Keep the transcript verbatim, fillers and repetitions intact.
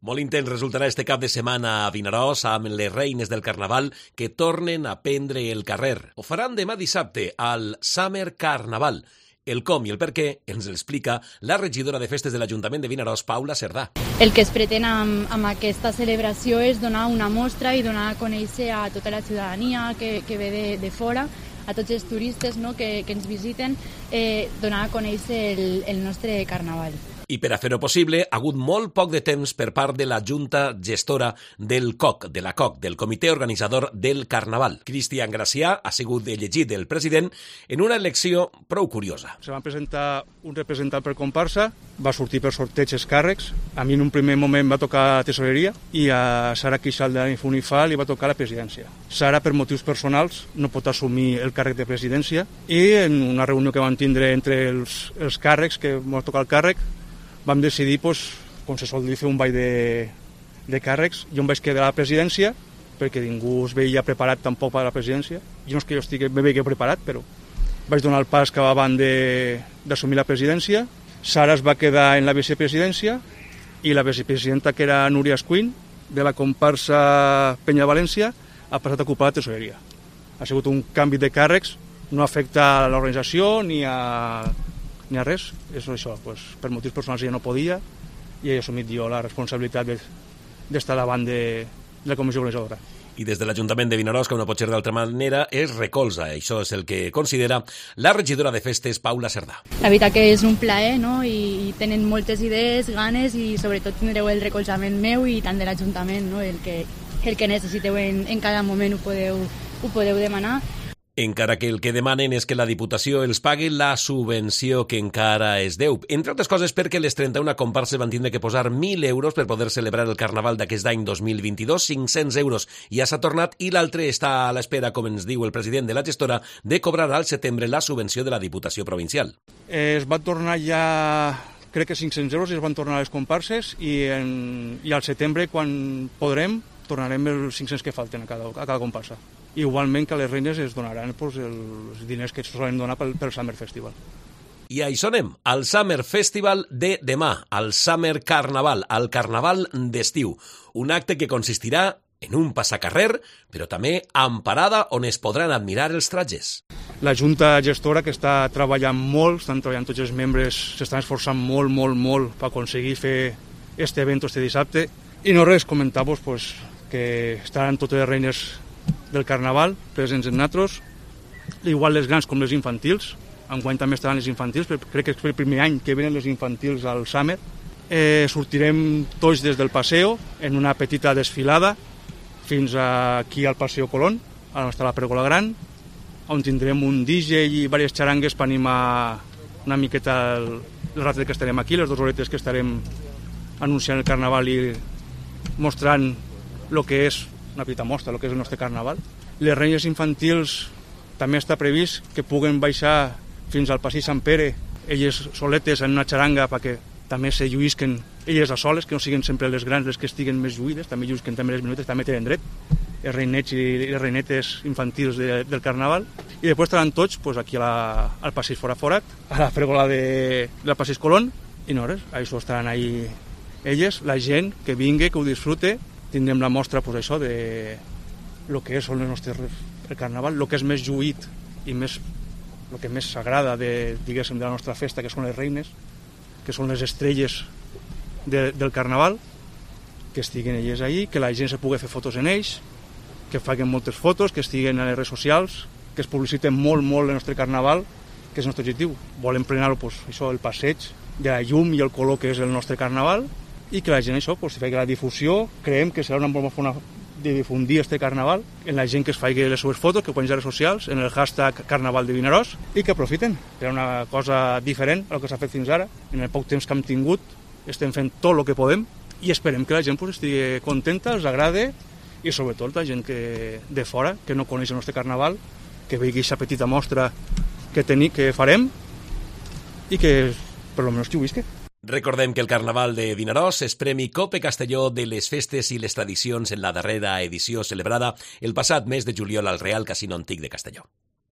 Molt intens resultarà este cap de setmana a Vinaròs amb les reines del Carnaval que tornen a prendre el carrer. Ho faran demà dissabte al Summer Carnaval. El com i el per què ens l'explica la regidora de festes de l'Ajuntament de Vinaròs, Paula Cerdà. El que es pretén amb, amb aquesta celebració és donar una mostra i donar a conèixer a tota la ciutadania que, que ve de, de fora, a tots els turistes, no, que, que ens visiten, eh, donar a conèixer el, el nostre Carnaval. I per a fer-ho possible, ha hagut molt poc de temps per part de la Junta Gestora del C O C, de la C O C, del Comitè Organitzador del Carnaval. Cristian Gracià ha sigut elegit el president en una elecció prou curiosa. Se va presentar un representant per comparsa, va sortir per sorteig els càrrecs, a mi en un primer moment va tocar tesoreria i a Sara Quixal de l'Infunifal li va tocar la presidència. Sara, per motius personals, no pot assumir el càrrec de presidència i en una reunió que vam tindre entre els, els càrrecs, que vam tocar el càrrec, vam decidir, pues, com se sol dir, fer un ball de, de càrrecs. Jo em vaig quedar a la presidència, perquè ningú es veia preparat tampoc per a la presidència. Jo no és que jo estigui, me veia preparat, però vaig donar el pas que abans d'assumir la presidència. Sara es va quedar en la vicepresidència i la vicepresidenta, que era Núria Escuin, de la comparsa Penya València, ha passat a ocupar la tesoreria. Ha sigut un canvi de càrrecs, no afecta a l'organització ni a... ni a res, és això, pues, per motius personals ja no podia i he assumit jo la responsabilitat d'estar davant de, de la comissió organitzadora. I des de l'Ajuntament de Vinaròs, com no pot ser d'altra manera, es recolza. Això és el que considera la regidora de festes, Paula Cerdà. La veritat que és un plaer, no? I, i tenen moltes idees, ganes i sobretot tindreu el recolzament meu i tant de l'Ajuntament, no? El que, el que necessiteu en, en cada moment ho podeu, ho podeu demanar. Encara que el que demanen és que la Diputació els pagui la subvenció que encara es deu. Entre altres coses perquè les trenta-una comparses van tindre que posar mil euros per poder celebrar el Carnaval d'aquest any dos mil vint-i-dos, cinc-cents euros ja s'ha tornat i l'altre està a l'espera, com ens diu el president de la gestora, de cobrar al setembre la subvenció de la Diputació Provincial. Eh, es va tornar ja, crec que cinc-cents euros, i es van tornar les comparses i, en, i al setembre, quan podrem, tornarem els cinc-cents que falten a cada, a cada comparsa. Igualment que a les reines es donaran pues, els diners que es solen donar pel, pel Summer Festival. I a això anem, al Summer Festival de demà, al Summer Carnaval, al Carnaval d'estiu. Un acte que consistirà en un passacarrer, però també amb parada on es podran admirar els tratges. La Junta Gestora, que està treballant molt, estan treballant tots els membres, s'estan esforçant molt, molt, molt per aconseguir fer este evento este dissabte. I no res, comentar-vos pues, que estaran totes les reines del Carnaval presents en natros, igual les grans com les infantils. Enguany també estaran les infantils, però crec que és el primer any que venen les infantils al Summer. Eh, sortirem tots des del Paseo en una petita desfilada fins aquí al Paseo Colón, on està la Pèrgola Gran, on tindrem un D J i diverses xarangues per animar una miqueta el, el rato que estarem aquí, les dues horetes que estarem anunciant el Carnaval i mostrant el que és una petita mostra, el que és el nostre Carnaval. Les reines infantils també està previst que puguen baixar fins al Passeig Sant Pere, elles soletes en una xaranga perquè també se lluïsquen elles a soles, que no siguin sempre les grans les que estiguen més lluïdes, també lluïsquen també les minutes, també tenen dret, els reinets i les reinetes infantils de, del Carnaval. I després estaran tots pues, aquí a la, al Passeig Fora Forat, a la pèrgola de, del Passeig Colón, i no res, això estaran ahí elles, la gent que vingui, que ho disfrute. Tindrem la mostra pues, això de lo que és el nostre el Carnaval, el que és més lluït i més, el que més s'agrada de, diguéssim, de la nostra festa, que són les reines, que són les estrelles de, del Carnaval, que estiguin elles ahí, que la gent se pugui fer fotos en ells, que facin moltes fotos, que estiguen a les redes socials, que es publiciten molt, molt el nostre Carnaval, que és el nostre objectiu. Volem plenar pues, això, el passeig de la llum i el color que és el nostre Carnaval, i que la gent això, pues, faci la difusió. Creiem que serà una bona forma de difundir este Carnaval en la gent que es faci les seves fotos, que posin a les socials, en el hashtag Carnaval de Vinaròs, i que aprofiten. Era una cosa diferent al que s'ha fet fins ara. En el poc temps que hem tingut estem fent tot el que podem i esperem que la gent pues, estigui contenta, els agrade, i sobretot la gent que, de fora, que no coneix el nostre Carnaval, que vegi aquesta petita mostra que, teni, que farem i que per almenys que ho visqui. Recordem que el Carnaval de Vinaròs és Premi Cope Castelló de les festes i les tradicions en la darrera edició celebrada el passat mes de juliol al Real Casino Antic de Castelló.